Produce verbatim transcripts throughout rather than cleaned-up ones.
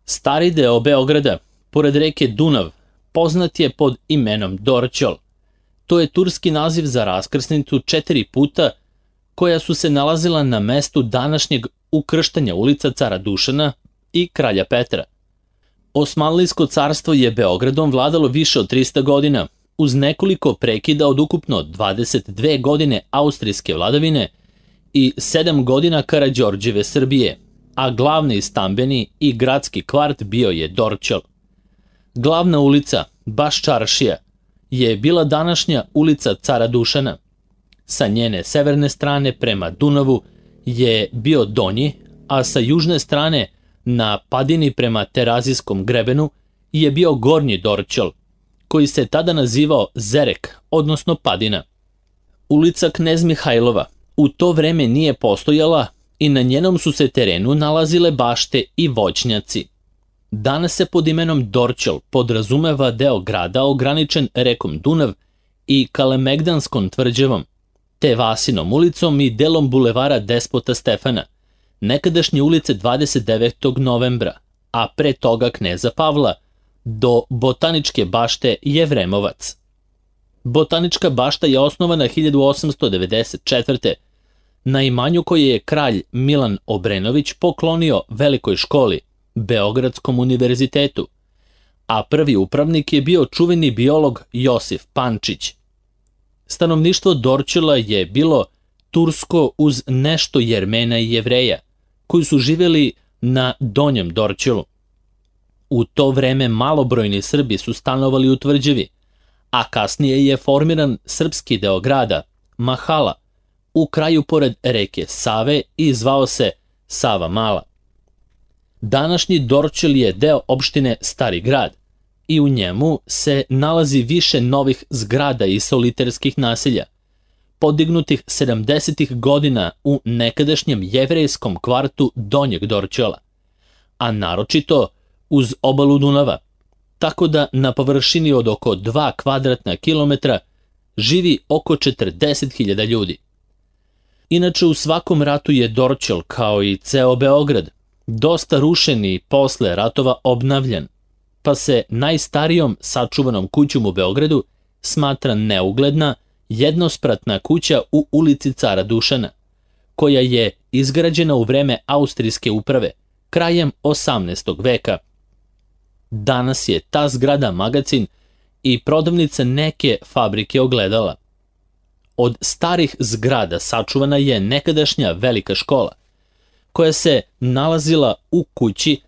Stari deo Beograda, pored reke Dunav, poznat je pod imenom Dorćol. To je turski naziv za raskrsnicu četiri puta koja su se nalazila na mestu današnjeg ukrštanja ulica Cara Dušana i Kralja Petra. Osmanlijsko carstvo je Beogradom vladalo više od trista godina, uz nekoliko prekida od ukupno dvadeset dve godine austrijske vladavine i sedam godina Karađorđeve Srbije, a glavni stambeni i gradski kvart bio je Dorćol. Glavna ulica, baš čaršija, je bila današnja ulica Cara Dušana. Sa njene severne strane prema Dunavu je bio Donji, a sa južne strane na padini prema Terazijskom grebenu je bio Gornji Dorćol, koji se tada nazivao Zerek, odnosno Padina. Ulica Knez Mihajlova u to vreme nije postojala i na njenom su se terenu nalazile bašte i voćnjaci. Danas se pod imenom Dorćol podrazumeva deo grada ograničen rekom Dunav i Kalemegdanskom tvrđavom, te Vasinom ulicom i delom bulevara Despota Stefana, nekadašnje ulice dvadeset devetog novembra, a pre toga Kneza Pavla, do Botaničke bašte Jevremovac. Botanička bašta je osnovana hiljadu osamsto devedeset četvrte. na imanju koje je kralj Milan Obrenović poklonio Velikoj školi, Beogradskom univerzitetu, a prvi upravnik je bio čuveni biolog Josif Pančić. Stanovništvo Dorćola je bilo tursko uz nešto Jermena i Jevreja, koji su živjeli na Donjem Dorćolu. U to vreme malobrojni Srbi su stanovali u tvrđavi, a kasnije je formiran srpski deo grada, Mahala, u kraju pored reke Save i zvao se Sava Mala. Današnji Dorćol je deo opštine Stari grad i u njemu se nalazi više novih zgrada i soliterskih naselja, podignutih sedamdesetih godina u nekadašnjem jevrejskom kvartu Donjeg Dorćola, a naročito uz obalu Dunava, tako da na površini od oko dva kvadratna kilometra živi oko četrdeset hiljada ljudi. Inače, u svakom ratu je Dorćol, kao i ceo Beograd, dosta rušen i posle ratova obnavljan, pa se najstarijom sačuvanom kućom u Beogradu smatra neugledna jednospratna kuća u ulici Cara Dušana, koja je izgrađena u vreme austrijske uprave, krajem osamnaestog veka. Danas je ta zgrada magacin i prodavnica neke fabrike ogledala. Od starih zgrada sačuvana je nekadašnja velika škola, koja se nalazila u kući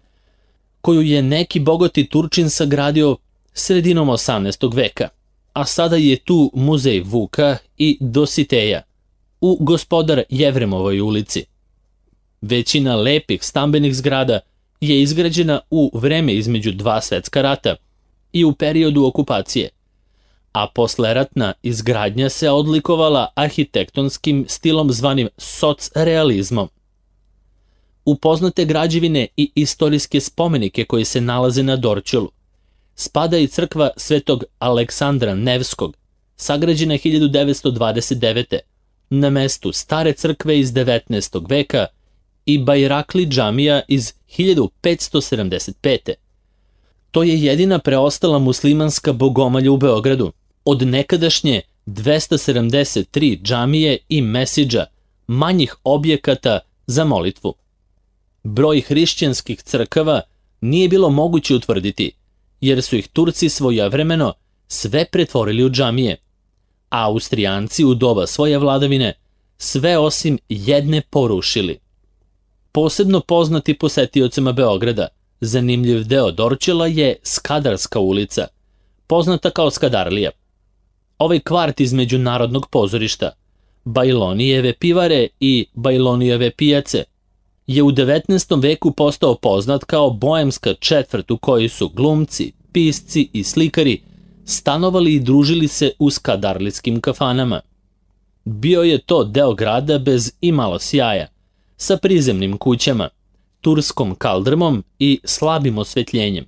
koju je neki bogati Turčin sagradio sredinom osamnaestog veka, a sada je tu muzej Vuka i Dositeja u Gospodar Jevremovoj ulici. Većina lepih stambenih zgrada je izgrađena u vreme između dva svetska rata i u periodu okupacije, a posleratna izgradnja se odlikovala arhitektonskim stilom zvanim socrealizmom. U poznate građevine i istorijske spomenike koji se nalaze na Dorćolu spada i crkva Svetog Aleksandra Nevskog, sagrađena hiljadu devetsto dvadeset devete. na mestu stare crkve iz devetnaestog veka i Bajrakli džamija iz hiljadu petsto sedamdeset pete. To je jedina preostala muslimanska bogomalja u Beogradu, od nekadašnje dvesta sedamdeset tri džamije i mesidža, manjih objekata za molitvu. Broj hrišćanskih crkava nije bilo moguće utvrditi, jer su ih Turci svojevremeno sve pretvorili u džamije, a Austrijanci u doba svoje vladavine sve osim jedne porušili. Posebno poznati posetiocima Beograda, zanimljiv deo Dorćola je Skadarska ulica, poznata kao Skadarlija. Ovaj kvart između Narodnog pozorišta, Bajlonijeve pivare i Bajlonijeve pijace je u devetnaestom veku postao poznat kao boemska četvrt u kojoj su glumci, pisci i slikari stanovali i družili se u skadarlijskim kafanama. Bio je to deo grada bez imalo sjaja, sa prizemnim kućama, turskom kaldrmom i slabim osvetljenjem.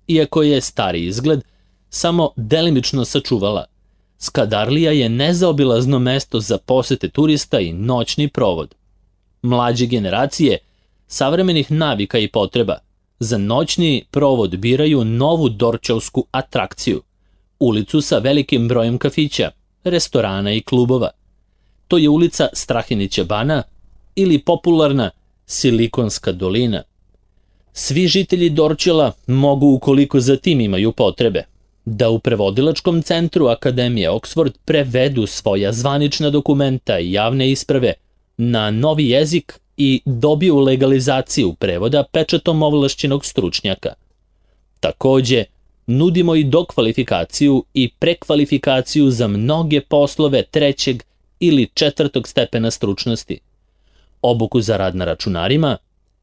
Iako je stari izgled samo delimično sačuvala, Skadarlija je nezaobilazno mesto za posete turista i noćni provod. Mlađe generacije, savremenih navika i potreba, Za noćni provod biraju novu dorčolsku atrakciju, ulicu sa velikim brojem kafića, restorana i klubova. To je ulica Strahinića bana ili popularna Silikonska dolina. Svi žitelji Dorčola mogu, ukoliko za tim imaju potrebe, da u prevodilačkom centru Akademije Oxford prevedu svoja zvanična dokumenta i javne isprave na novi jezik i dobiju legalizaciju prevoda pečatom ovlašćenog stručnjaka. Takođe, nudimo i dokvalifikaciju i prekvalifikaciju za mnoge poslove trećeg ili četvrtog stepena stručnosti, obuku za rad na računarima,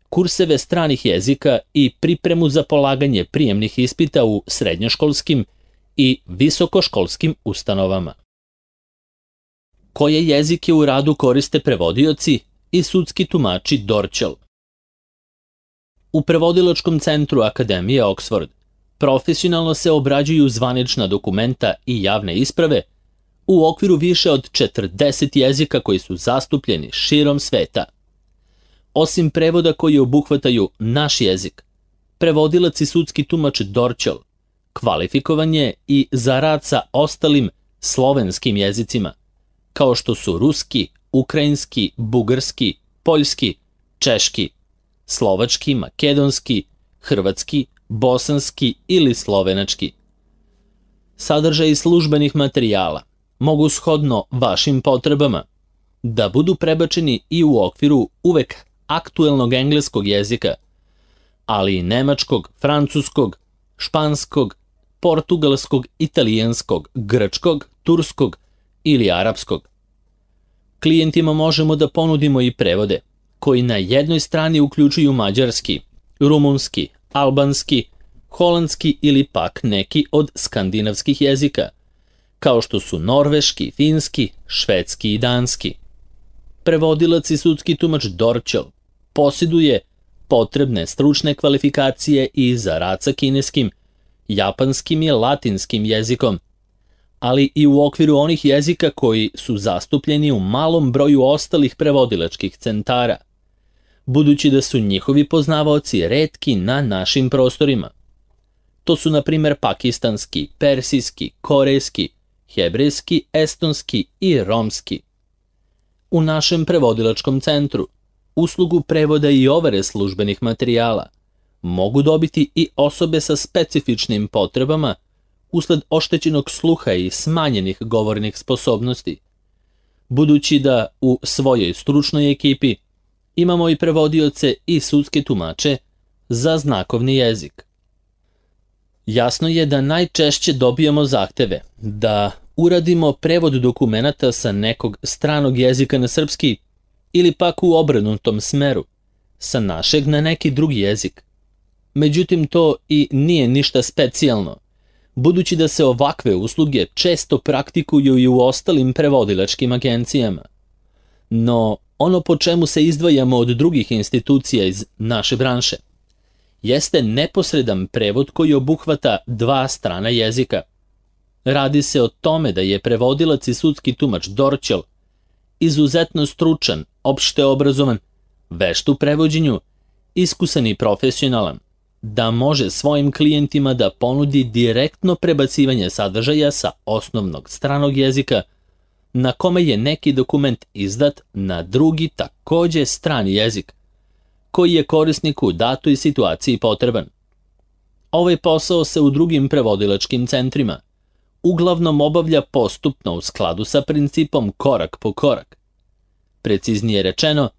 kurseve stranih jezika i pripremu za polaganje prijemnih ispita u srednjoškolskim i visokoškolskim ustanovama. Koje jezike u radu koriste prevodioci i sudski tumači Dorčol? U prevodilačkom centru Akademije Oxford profesionalno se obrađuju zvanična dokumenta i javne isprave u okviru više od četrdeset jezika koji su zastupljeni širom sveta. Osim prevoda koji obuhvataju naš jezik, prevodilac i sudski tumač Dorčol kvalifikovan je i za rad sa ostalim slovenskim jezicima, kao što su ruski, ukrajinski, bugarski, poljski, češki, slovački, makedonski, hrvatski, bosanski ili slovenački. Sadržaj službenih materijala mogu shodno vašim potrebama da budu prebačeni i u okviru uvek aktuelnog engleskog jezika, ali i nemačkog, francuskog, španskog, portugalskog, italijanskog, grčkog, turskog ili arapskog. Klijentima možemo da ponudimo i prevode koji na jednoj strani uključuju mađarski, rumunski, albanski, holandski ili pak neki od skandinavskih jezika, kao što su norveški, finski, švedski i danski. Prevodilac i sudski tumač Dorčol posjeduje potrebne stručne kvalifikacije i za rad sa kineskim, japanskim i latinskim jezikom, ali i u okviru onih jezika koji su zastupljeni u malom broju ostalih prevodilačkih centara, budući da su njihovi poznavaoci retki na našim prostorima. To su, na primjer, pakistanski, persijski, korejski, hebrejski, estonski i romski. U našem prevodilačkom centru uslugu prevoda i overe službenih materijala mogu dobiti i osobe sa specifičnim potrebama usled oštećenog sluha i smanjenih govornih sposobnosti, budući da u svojoj stručnoj ekipi imamo i prevodioce i sudske tumače za znakovni jezik. Jasno je da najčešće dobijamo zahteve da uradimo prevod dokumenata sa nekog stranog jezika na srpski ili pak u obrnutom smeru, sa našeg na neki drugi jezik. Međutim, to i nije ništa specijalno, budući da se ovakve usluge često praktikuju i u ostalim prevodilačkim agencijama. No, ono po čemu se izdvajamo od drugih institucija iz naše branše jeste neposredan prevod koji obuhvata dva strana jezika. Radi se o tome da je prevodilac i sudski tumač Dorčol izuzetno stručan, opšte obrazovan, vešt u prevođenju, iskusan i profesionalan, da može svojim klijentima da ponudi direktno prebacivanje sadržaja sa osnovnog stranog jezika na kome je neki dokument izdat na drugi takođe strani jezik, koji je korisniku u datoj situaciji potreban. Ovaj posao se u drugim prevodilačkim centrima uglavnom obavlja postupno u skladu sa principom korak po korak. Preciznije rečeno,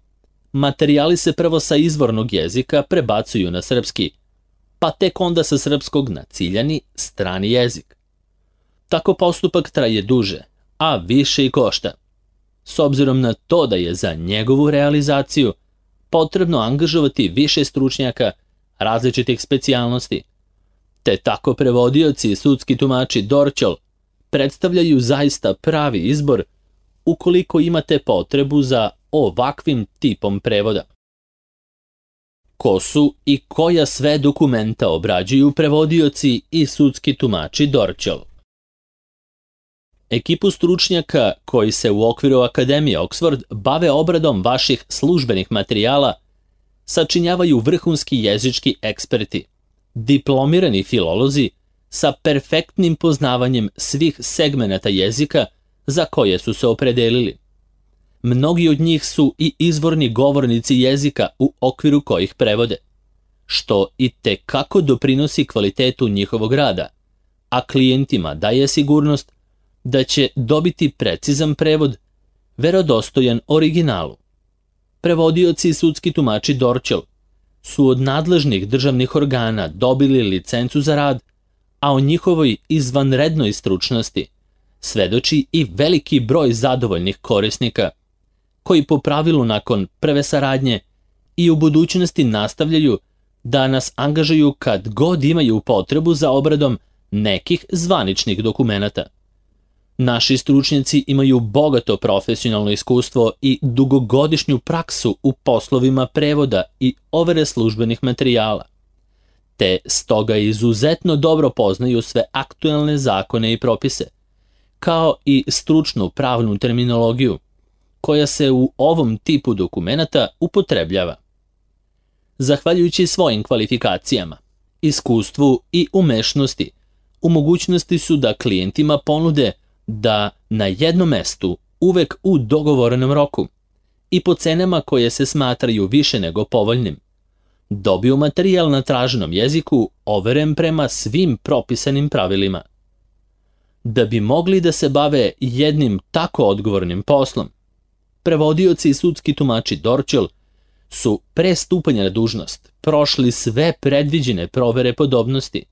materijali se prvo sa izvornog jezika prebacuju na srpski, pa tek onda sa srpskog na ciljani strani jezik. Tako postupak traje duže, a više i košta, s obzirom na to da je za njegovu realizaciju potrebno angažovati više stručnjaka različitih specijalnosti, te tako prevodioci i sudski tumači Dorčol predstavljaju zaista pravi izbor ukoliko imate potrebu za ovakvim tipom prevoda. Ko su i koja sve dokumenta obrađuju prevodioci i sudski tumači Dorčol? Ekipu stručnjaka koji se u okviru Akademije Oxford bave obradom vaših službenih materijala sačinjavaju vrhunski jezički eksperti, diplomirani filolozi sa perfektnim poznavanjem svih segmenata jezika za koje su se opredelili. Mnogi od njih su i izvorni govornici jezika u okviru kojih prevode, što i tekako doprinosi kvalitetu njihovog rada, a klijentima daje sigurnost da će dobiti precizan prevod, verodostojan originalu. Prevodioci i sudski tumači Dorćol su od nadležnih državnih organa dobili licencu za rad, a o njihovoj izvanrednoj stručnosti svedoči i veliki broj zadovoljnih korisnika, koji po pravilu nakon prve saradnje i u budućnosti nastavljaju da nas angažuju kad god imaju potrebu za obradom nekih zvaničnih dokumenata. Naši stručnjaci imaju bogato profesionalno iskustvo i dugogodišnju praksu u poslovima prevoda i overe službenih materijala, te stoga izuzetno dobro poznaju sve aktuelne zakone i propise, kao i stručnu pravnu terminologiju, koja se u ovom tipu dokumenata upotrebljava. Zahvaljujući svojim kvalifikacijama, iskustvu i umešnosti, u mogućnosti su da klijentima ponude da na jednom mestu, uvek u dogovorenom roku i po cenama koje se smatraju više nego povoljnim, dobiju materijal na traženom jeziku overen prema svim propisanim pravilima. Da bi mogli da se bave jednim tako odgovornim poslom, prevodioci i sudski tumači Dorćol su pre stupanja na dužnost prošli sve predviđene provere podobnosti,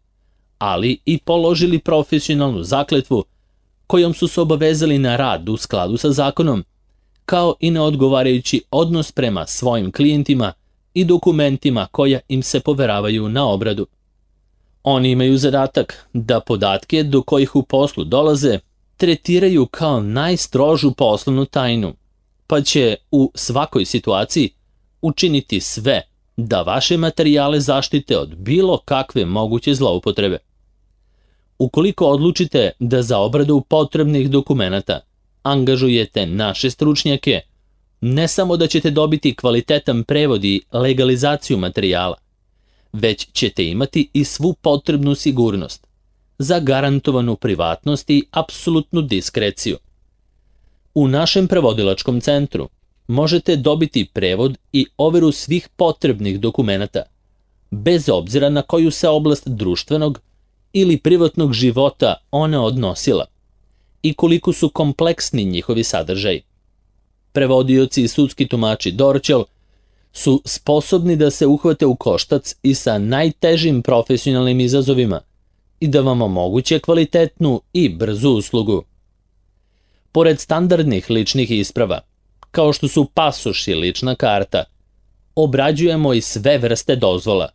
ali i položili profesionalnu zakletvu kojom su se obavezali na rad u skladu sa zakonom, kao i na odgovarajući odnos prema svojim klijentima i dokumentima koja im se poveravaju na obradu. Oni imaju zadatak da podatke do kojih u poslu dolaze tretiraju kao najstrožu poslovnu tajnu, pa će u svakoj situaciji učiniti sve da vaše materijale zaštite od bilo kakve moguće zloupotrebe. Ukoliko odlučite da za obradu potrebnih dokumenata angažujete naše stručnjake, ne samo da ćete dobiti kvalitetan prevod i legalizaciju materijala, već ćete imati i svu potrebnu sigurnost, zagarantovanu privatnost i apsolutnu diskreciju. U našem prevodilačkom centru možete dobiti prevod i overu svih potrebnih dokumenata, bez obzira na koju se oblast društvenog ili privatnog života ona odnosila i koliko su kompleksni njihovi sadržaji. Prevodioci i sudski tumači Dorćol su sposobni da se uhvate u koštac i sa najtežim profesionalnim izazovima i da vam omoguće kvalitetnu i brzu uslugu. Pored standardnih ličnih isprava, kao što su pasoš i lična karta, obrađujemo i sve vrste dozvola,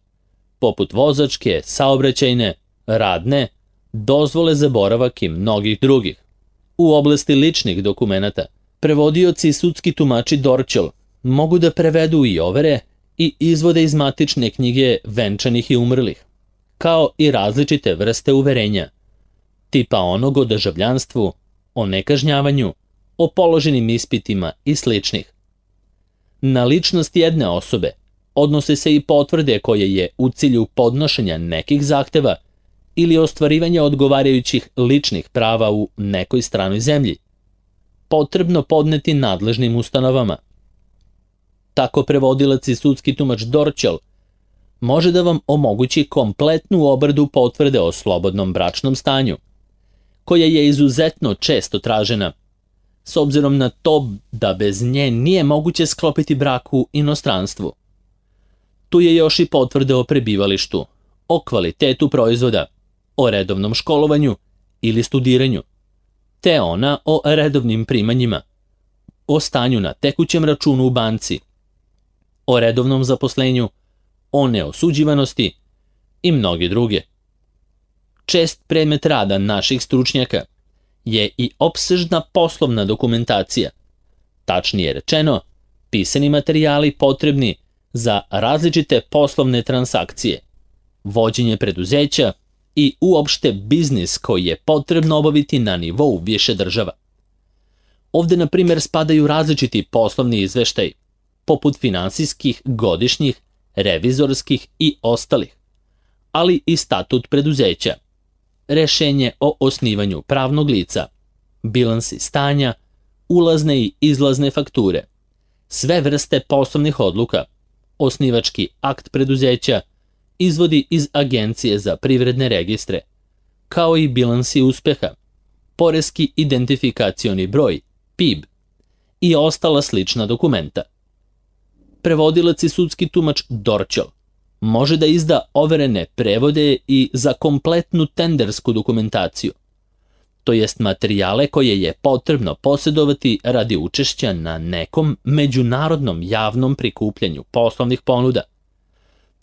poput vozačke, saobraćajne, radne, dozvole za boravak i mnogih drugih. U oblasti ličnih dokumenata, prevodioci i sudski tumači Dorćol mogu da prevedu i overe i izvode iz matične knjige venčanih i umrlih, kao i različite vrste uverenja, tipa onog o državljanstvu, o nekažnjavanju, o položenim ispitima i sličnih. Na ličnost jedne osobe odnose se i potvrde koje je u cilju podnošenja nekih zahteva ili ostvarivanja odgovarajućih ličnih prava u nekoj stranoj zemlji potrebno podneti nadležnim ustanovama. Tako prevodilac i sudski tumač Dorćol može da vam omogući kompletnu obradu potvrde o slobodnom bračnom stanju, koja je izuzetno često tražena, s obzirom na to da bez nje nije moguće sklopiti brak u inostranstvu. Tu je još i potvrda o prebivalištu, o kvalitetu proizvoda, o redovnom školovanju ili studiranju, te ona o redovnim primanjima, o stanju na tekućem računu u banci, o redovnom zaposlenju, o neosuđivanosti i mnoge druge. Čest predmet rada naših stručnjaka je i opsežna poslovna dokumentacija, tačnije rečeno, pisani materijali potrebni za različite poslovne transakcije, vođenje preduzeća i uopšte biznis koji je potrebno obaviti na nivou više država. Ovde, na primjer, spadaju različiti poslovni izveštaji, poput finansijskih, godišnjih revizorskih i ostalih, ali i statut preduzeća, rešenje o osnivanju pravnog lica, bilansi stanja, ulazne i izlazne fakture, sve vrste poslovnih odluka, osnivački akt preduzeća, izvodi iz Agencije za privredne registre, kao i bilansi uspeha, poreski identifikacioni broj, P I B, i ostala slična dokumenta. Prevodilac i sudski tumač Dorćol može da izda overene prevode i za kompletnu tendersku dokumentaciju, to jest materijale koje je potrebno posjedovati radi učešća na nekom međunarodnom javnom prikupljanju poslovnih ponuda.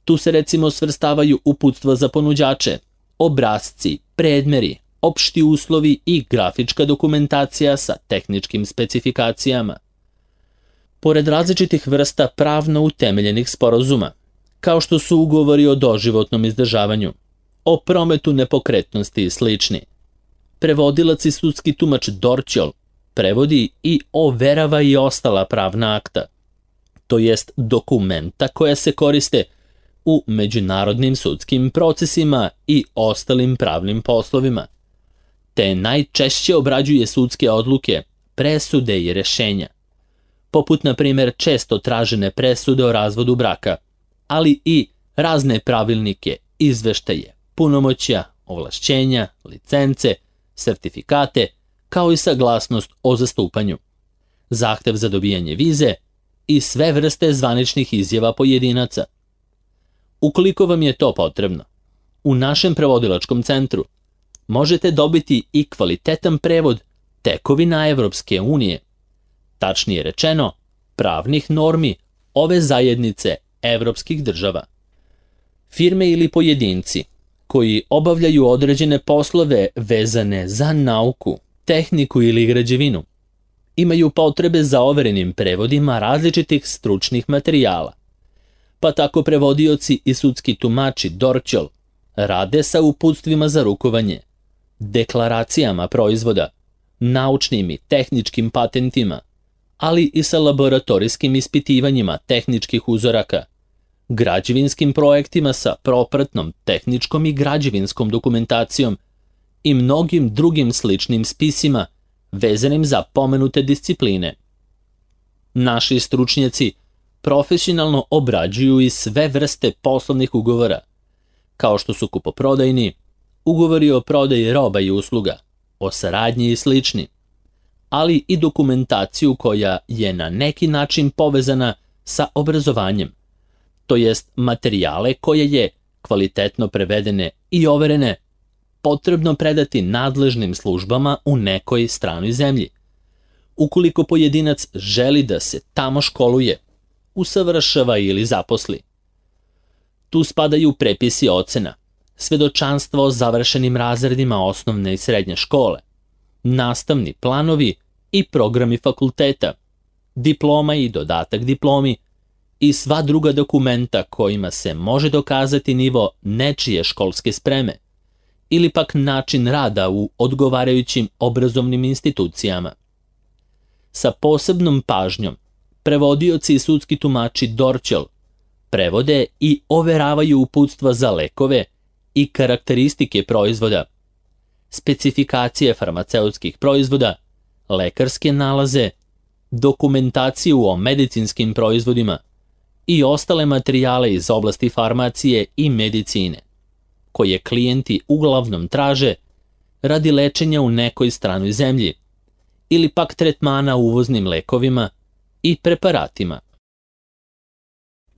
Tu se recimo svrstavaju uputstva za ponuđače, obrasci, predmeri, opšti uslovi i grafička dokumentacija sa tehničkim specifikacijama. Pored različitih vrsta pravno utemeljenih sporazuma, kao što su ugovori o doživotnom izdržavanju, o prometu nepokretnosti i slični, prevodilac i sudski tumač Dorćol prevodi i overava i ostala pravna akta, to jest dokumenta koja se koriste u međunarodnim sudskim procesima i ostalim pravnim poslovima, te najčešće obrađuje sudske odluke, presude i rešenja, poput na primjer često tražene presude o razvodu braka, ali i razne pravilnike, izveštaje, punomoćja, ovlašćenja, licence, sertifikate, kao i saglasnost o zastupanju, zahtev za dobijanje vize i sve vrste zvaničnih izjava pojedinaca. Ukoliko vam je to potrebno, u našem prevodilačkom centru možete dobiti i kvalitetan prevod tekovina Evropske unije, tačnije rečeno, pravnih normi ove zajednice evropskih država. Firme ili pojedinci koji obavljaju određene poslove vezane za nauku, tehniku ili građevinu, imaju potrebe za overenim prevodima različitih stručnih materijala, pa tako prevodioci i sudski tumači Dorćol rade sa uputstvima za rukovanje, deklaracijama proizvoda, naučnim i tehničkim patentima, ali i sa laboratorijskim ispitivanjima tehničkih uzoraka, građevinskim projektima sa propratnom tehničkom i građevinskom dokumentacijom i mnogim drugim sličnim spisima vezanim za pomenute discipline. Naši stručnjaci profesionalno obrađuju i sve vrste poslovnih ugovora, kao što su kupoprodajni, ugovori o prodaji roba i usluga, o saradnji i slični, ali i dokumentaciju koja je na neki način povezana sa obrazovanjem, to jest materijale koje je, kvalitetno prevedene i overene, potrebno predati nadležnim službama u nekoj stranoj zemlji, ukoliko pojedinac želi da se tamo školuje, usavršava ili zaposli. Tu spadaju prepisi ocena, svedočanstva o završenim razredima osnovne i srednje škole, nastavni planovi i programi fakulteta, diploma i dodatak diplomi i sva druga dokumenta kojima se može dokazati nivo nečije školske spreme ili pak način rada u odgovarajućim obrazovnim institucijama. Sa posebnom pažnjom prevodioci i sudski tumači Dorćol prevode i overavaju uputstva za lekove i karakteristike proizvoda, specifikacije farmaceutskih proizvoda, lekarske nalaze, dokumentaciju o medicinskim proizvodima i ostale materijale iz oblasti farmacije i medicine, koje klijenti uglavnom traže radi lečenja u nekoj stranoj zemlji ili pak tretmana uvoznim lekovima i preparatima.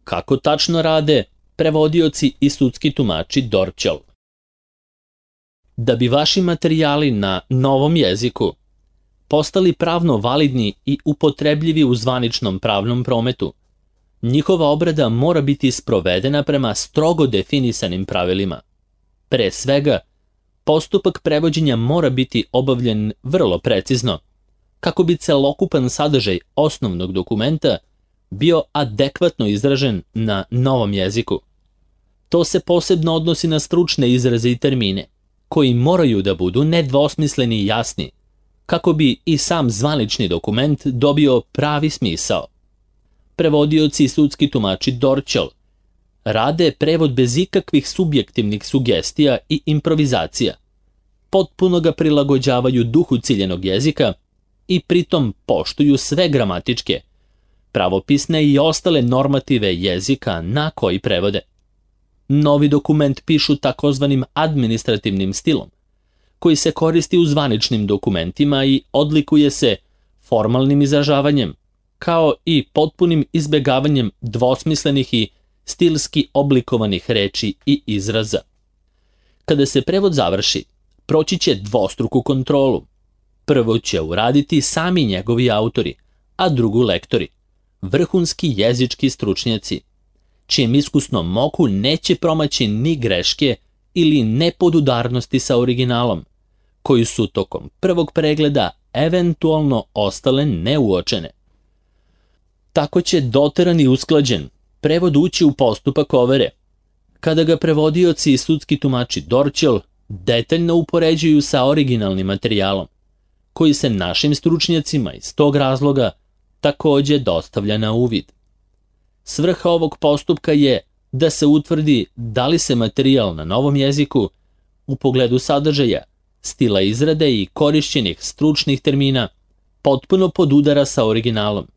Kako tačno rade prevodioci i sudski tumači Dorćol? Da bi vaši materijali na novom jeziku postali pravno validni i upotrebljivi u zvaničnom pravnom prometu, njihova obrada mora biti sprovedena prema strogo definisanim pravilima. Pre svega, postupak prevođenja mora biti obavljen vrlo precizno, kako bi celokupan sadržaj osnovnog dokumenta bio adekvatno izražen na novom jeziku. To se posebno odnosi na stručne izraze i termine, koji moraju da budu nedvosmisleni i jasni, kako bi i sam zvanični dokument dobio pravi smisao. Prevodioci i sudski tumači Dorćol rade prevod bez ikakvih subjektivnih sugestija i improvizacija. Potpuno ga prilagođavaju duhu ciljenog jezika i pritom poštuju sve gramatičke, pravopisne i ostale normative jezika na koji prevode. Novi dokument pišu takozvanim administrativnim stilom, koji se koristi u zvaničnim dokumentima i odlikuje se formalnim izražavanjem, kao i potpunim izbegavanjem dvosmislenih i stilski oblikovanih reči i izraza. Kada se prevod završi, proći će dvostruku kontrolu. Prvo će uraditi sami njegovi autori, a drugu lektori, vrhunski jezički stručnjaci, čijem iskusnom oku neće promaći ni greške ili nepodudarnosti sa originalom, koji su tokom prvog pregleda eventualno ostale neuočene. Tako će doteran i usklađen prevod ući u postupak overe, kada ga prevodioci i sudski tumači Dorćol detaljno upoređuju sa originalnim materijalom, koji se našim stručnjacima iz tog razloga takođe dostavlja na uvid. Svrha ovog postupka je da se utvrdi da li se materijal na novom jeziku u pogledu sadržaja, stila izrade i korišćenih stručnih termina potpuno podudara sa originalom,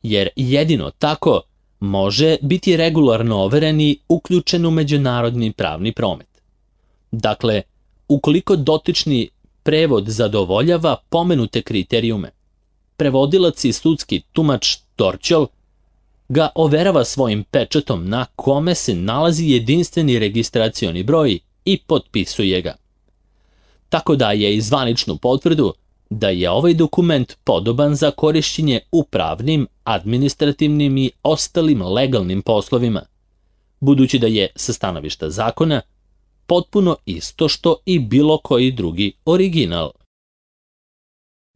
jer jedino tako može biti regularno overen i uključen u međunarodni pravni promet. Dakle, ukoliko dotični prevod zadovoljava pomenute kriterijume, prevodilac i sudski tumač Dorćol ga overava svojim pečatom na kome se nalazi jedinstveni registracioni broj i potpisuje ga. Tako daje i zvaničnu potvrdu da je ovaj dokument podoban za korišćenje u pravnim, administrativnim i ostalim legalnim poslovima, budući da je sa stanovišta zakona potpuno isto što i bilo koji drugi original.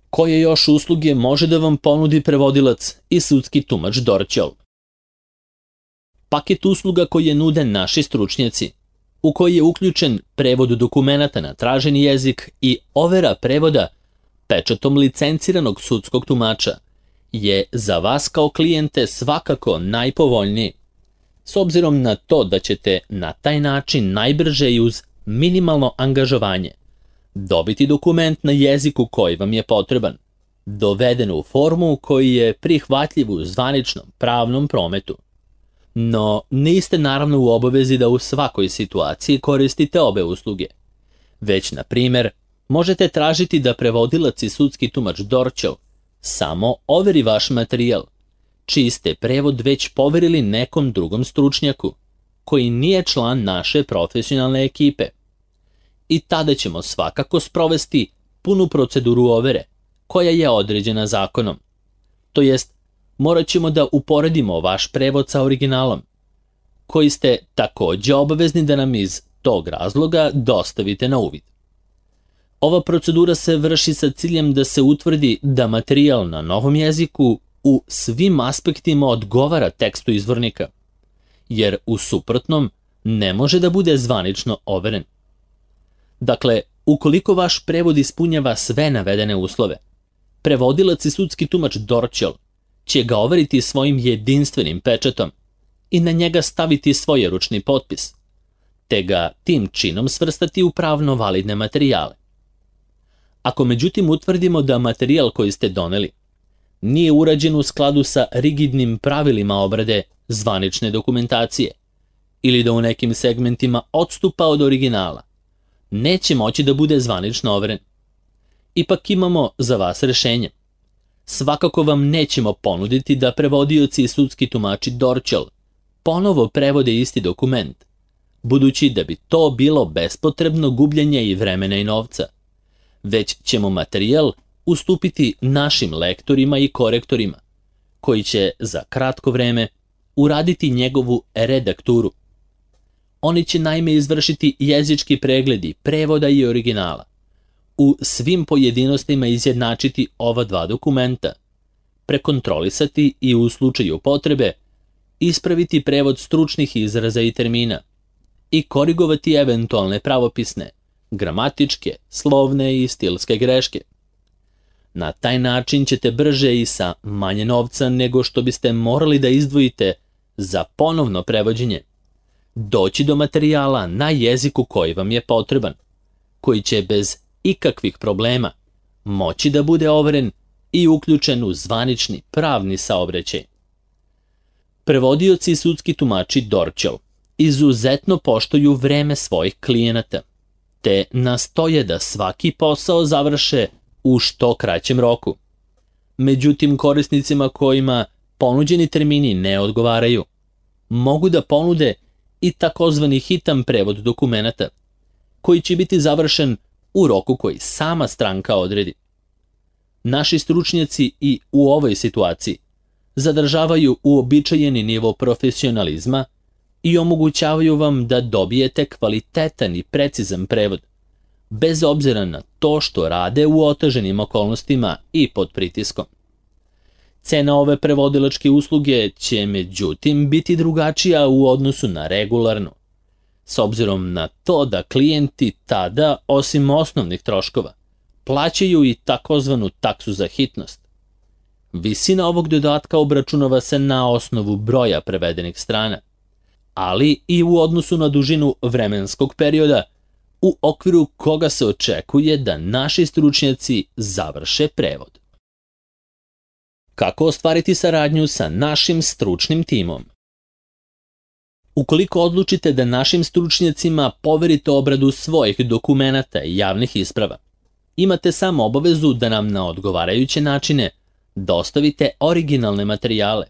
Koje još usluge može da vam ponudi prevodilac i sudski tumač Dorćol? Paket usluga koje nude naši stručnjaci, u koji je uključen prevod dokumenata na traženi jezik i overa prevoda pečatom licenciranog sudskog tumača, je za vas kao klijente svakako najpovoljniji, s obzirom na to da ćete na taj način najbrže i uz minimalno angažovanje dobiti dokument na jeziku koji vam je potreban, doveden u formu koji je prihvatljiv u zvaničnom pravnom prometu. No, niste naravno u obavezi da u svakoj situaciji koristite obe usluge, već, na primjer, možete tražiti da prevodilac i sudski tumač Dorćol samo overi vaš materijal, čiji ste prevod već poverili nekom drugom stručnjaku, koji nije član naše profesionalne ekipe. I tada ćemo svakako sprovesti punu proceduru overe, koja je određena zakonom. To jest, morat ćemo da uporedimo vaš prevod sa originalom, koji ste takođe obavezni da nam iz tog razloga dostavite na uvid. Ova procedura se vrši sa ciljem da se utvrdi da materijal na novom jeziku u svim aspektima odgovara tekstu izvornika, jer u suprotnom ne može da bude zvanično overen. Dakle, ukoliko vaš prevod ispunjava sve navedene uslove, prevodilac i sudski tumač Dorćol će ga overiti svojim jedinstvenim pečatom i na njega staviti svojeručni potpis, te ga tim činom svrstati u pravno validne materijale. Ako međutim utvrdimo da materijal koji ste doneli nije urađen u skladu sa rigidnim pravilima obrade zvanične dokumentacije ili da u nekim segmentima odstupa od originala, neće moći da bude zvanično overen. Ipak imamo za vas rešenje. Svakako vam nećemo ponuditi da prevodioci i sudski tumači Dorćol ponovo prevode isti dokument, budući da bi to bilo bespotrebno gubljenje i vremena i novca, već ćemo materijal ustupiti našim lektorima i korektorima, koji će za kratko vreme uraditi njegovu redakturu. Oni će naime izvršiti jezički pregledi prevoda i originala, u svim pojedinostima izjednačiti ova dva dokumenta, prekontrolisati i u slučaju potrebe ispraviti prevod stručnih izraza i termina i korigovati eventualne pravopisne, gramatičke, slovne i stilske greške. Na taj način ćete brže i sa manje novca nego što biste morali da izdvojite za ponovno prevođenje doći do materijala na jeziku koji vam je potreban, koji će bez ikakvih problema moći da bude overen i uključen u zvanični pravni saobraćaj. Prevodioci i sudski tumači Dorćol izuzetno poštuju vreme svojih klijenata, te nastoje da svaki posao završe u što kraćem roku. Međutim, korisnicima kojima ponuđeni termini ne odgovaraju, mogu da ponude i takozvani hitan prevod dokumenata, koji će biti završen u roku koji sama stranka odredi. Naši stručnjaci i u ovoj situaciji zadržavaju uobičajeni nivo profesionalizma i omogućavaju vam da dobijete kvalitetan i precizan prevod, bez obzira na to što rade u oteženim okolnostima i pod pritiskom. Cena ove prevodilačke usluge će međutim biti drugačija u odnosu na regularnu, s obzirom na to da klijenti tada, osim osnovnih troškova, plaćaju i takozvanu taksu za hitnost. Visina ovog dodatka obračunava se na osnovu broja prevedenih strana, ali i u odnosu na dužinu vremenskog perioda u okviru koga se očekuje da naši stručnjaci završe prevod. Kako ostvariti saradnju sa našim stručnim timom? Ukoliko odlučite da našim stručnjacima poverite obradu svojih dokumenata i javnih isprava, imate samo obavezu da nam na odgovarajuće načine dostavite originalne materijale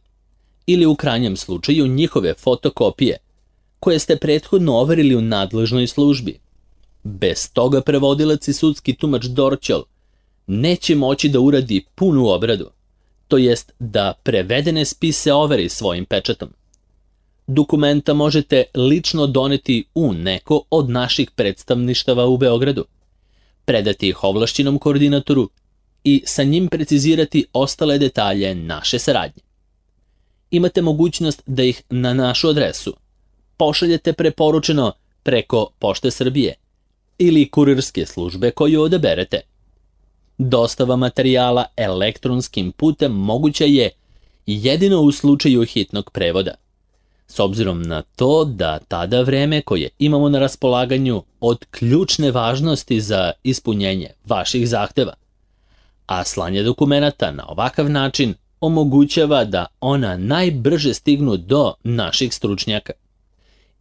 ili u krajnjem slučaju njihove fotokopije koje ste prethodno overili u nadležnoj službi. Bez toga prevodilac i sudski tumač Dorćol neće moći da uradi punu obradu, to jest da prevedene spise overi svojim pečatom. Dokumenta možete lično doneti u neko od naših predstavništava u Beogradu, predati ih ovlašćenom koordinatoru i sa njim precizirati ostale detalje naše saradnje. Imate mogućnost da ih na našu adresu pošaljete preporučeno preko Pošte Srbije ili kurirske službe koju odaberete. Dostava materijala elektronskim putem moguća je jedino u slučaju hitnog prevoda, s obzirom na to da tada vreme koje imamo na raspolaganju od ključne važnosti za ispunjenje vaših zahteva, a slanje dokumenata na ovakav način omogućava da ona najbrže stignu do naših stručnjaka.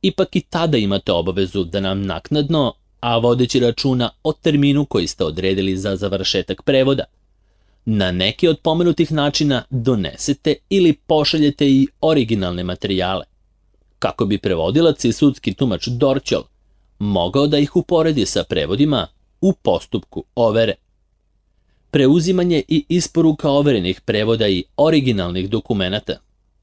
Ipak i tada imate obavezu da nam naknadno, a vodeći računa o terminu koji ste odredili za završetak prevoda, na neki od pomenutih načina donesete ili pošaljete i originalne materijale, kako bi prevodilac i sudski tumač Dorćol mogao da ih uporedi sa prevodima u postupku overe. Preuzimanje i isporuka overenih prevoda i originalnih dokumenata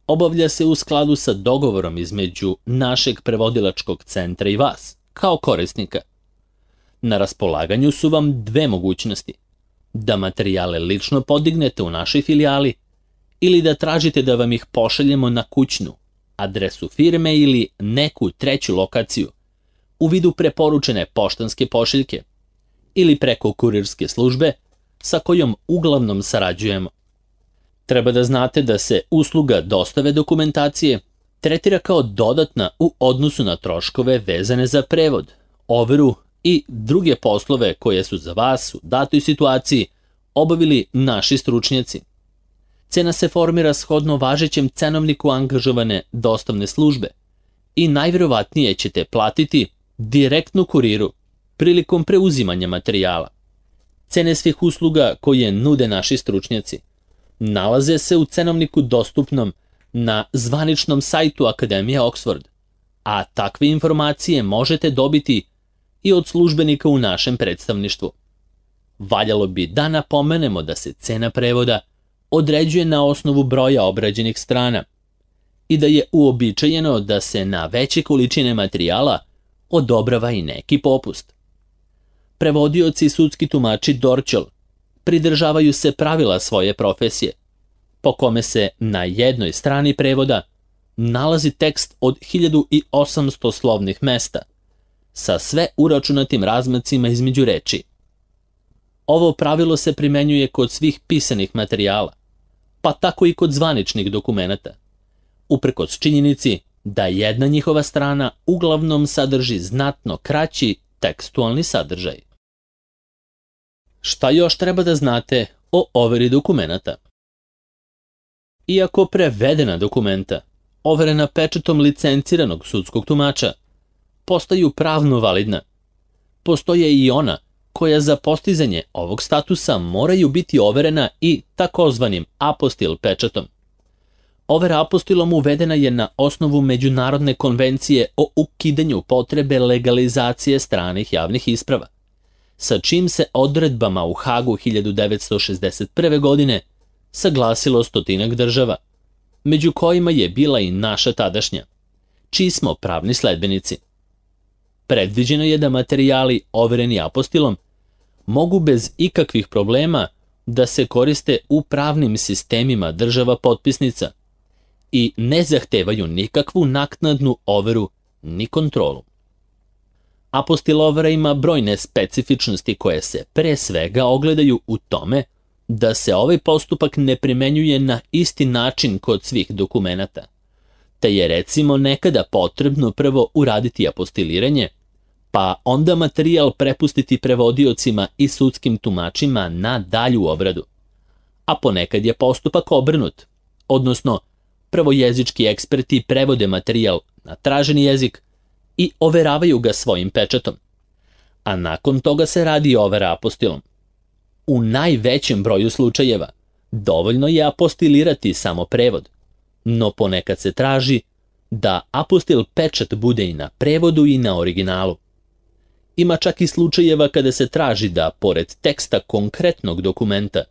obavlja se u skladu sa dogovorom između našeg prevodilačkog centra i vas, kao korisnika. Na raspolaganju su vam dve mogućnosti: da materijale lično podignete u našoj filijali ili da tražite da vam ih pošaljemo na kućnu adresu firme ili neku treću lokaciju u vidu preporučene poštanske pošiljke ili preko kurirske službe sa kojom uglavnom sarađujemo. Treba da znate da se usluga dostave dokumentacije tretira kao dodatna u odnosu na troškove vezane za prevod, overu i druge poslove koje su za vas u datoj situaciji obavili naši stručnjaci. Cena se formira shodno važećem cenovniku angažovane dostavne službe i najvjerovatnije ćete platiti direktno kuriru prilikom preuzimanja materijala. Cene svih usluga koje nude naši stručnjaci nalaze se u cenovniku dostupnom na zvaničnom sajtu Akademije Oxford, a takve informacije možete dobiti i od službenika u našem predstavništvu. Valjalo bi da napomenemo da se cena prevoda određuje na osnovu broja obrađenih strana i da je uobičajeno da se na veće količine materijala odobrava i neki popust. Prevodioci i sudski tumači Dorćol pridržavaju se pravila svoje profesije, po kome se na jednoj strani prevoda nalazi tekst od hiljadu osamsto slovnih mesta, sa sve uračunatim razmacima između reči. Ovo pravilo se primenjuje kod svih pisanih materijala, pa tako i kod zvaničnih dokumenata, uprkos činjenici da jedna njihova strana uglavnom sadrži znatno kraći tekstualni sadržaj. Šta još treba da znate o overi dokumenata? Iako prevedena dokumenta, overena pečatom licenciranog sudskog tumača, postaju pravno validna, postoje i ona koja za postizanje ovog statusa moraju biti overena i takozvanim apostil pečatom. Overa apostilom uvedena je na osnovu Međunarodne konvencije o ukidanju potrebe legalizacije stranih javnih isprava, sa čim se odredbama u Hagu hiljadu devetsto šezdeset prve. godine saglasilo stotinak država, među kojima je bila i naša tadašnja, čiji smo pravni sledbenici. Predviđeno je da materijali overeni apostilom mogu bez ikakvih problema da se koriste u pravnim sistemima država potpisnica i ne zahtevaju nikakvu naknadnu overu ni kontrolu. Apostil overa ima brojne specifičnosti koje se pre svega ogledaju u tome da se ovaj postupak ne primenjuje na isti način kod svih dokumenata, te je recimo nekada potrebno prvo uraditi apostiliranje, pa onda materijal prepustiti prevodiocima i sudskim tumačima na dalju obradu. A ponekad je postupak obrnut, odnosno prvo jezički eksperti prevode materijal na traženi jezik i overavaju ga svojim pečatom, a nakon toga se radi overa apostilom. U najvećem broju slučajeva dovoljno je apostilirati samo prevod, no ponekad se traži da apostil pečat bude i na prevodu i na originalu. Ima čak i slučajeva kada se traži da, pored teksta konkretnog dokumenta,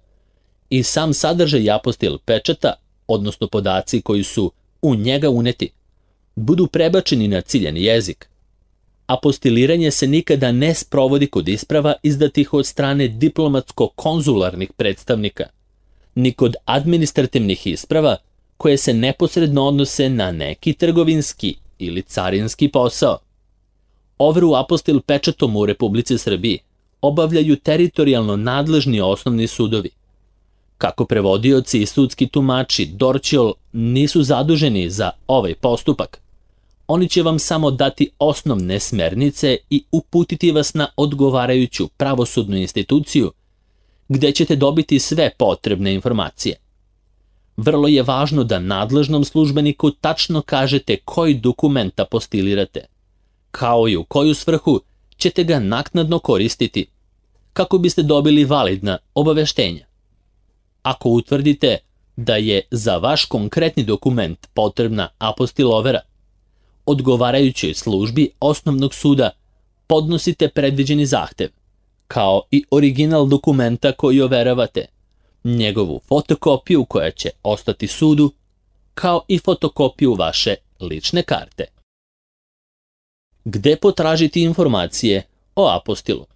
i sam sadržaj apostil pečata, odnosno podaci koji su u njega uneti, budu prebačeni na ciljani jezik. Apostiliranje se nikada ne sprovodi kod isprava izdatih od strane diplomatsko-konzularnih predstavnika, ni kod administrativnih isprava koje se neposredno odnose na neki trgovinski ili carinski posao. Overu apostil pečatom u Republici Srbiji obavljaju teritorijalno nadležni osnovni sudovi. Kako prevodioci i sudski tumači Dorćol nisu zaduženi za ovaj postupak, oni će vam samo dati osnovne smernice i uputiti vas na odgovarajuću pravosudnu instituciju, gde ćete dobiti sve potrebne informacije. Vrlo je važno da nadležnom službeniku tačno kažete koji dokument apostilirate, kao i u koju svrhu ćete ga naknadno koristiti, kako biste dobili validna obaveštenja. Ako utvrdite da je za vaš konkretni dokument potrebna apostil overa, odgovarajućoj službi osnovnog suda podnosite predviđeni zahtev, kao i original dokumenta koji overavate, njegovu fotokopiju koja će ostati sudu, kao i fotokopiju vaše lične karte. Gde potražiti informacije o apostilu?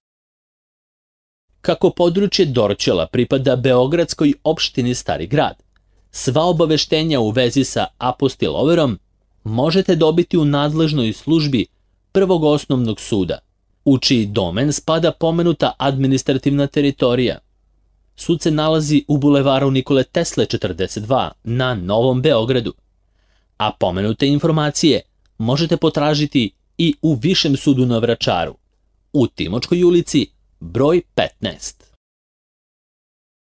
Kako područje Dorćola pripada Beogradskoj opštini Stari grad, sva obaveštenja u vezi sa apostil overom možete dobiti u nadležnoj službi Prvog osnovnog suda, u čiji domen spada pomenuta administrativna teritorija. Sud se nalazi u bulevaru Nikole Tesle četrdeset dva na Novom Beogradu, a pomenute informacije možete potražiti i u Višem sudu na Vračaru, u Timočkoj ulici broj petnaest.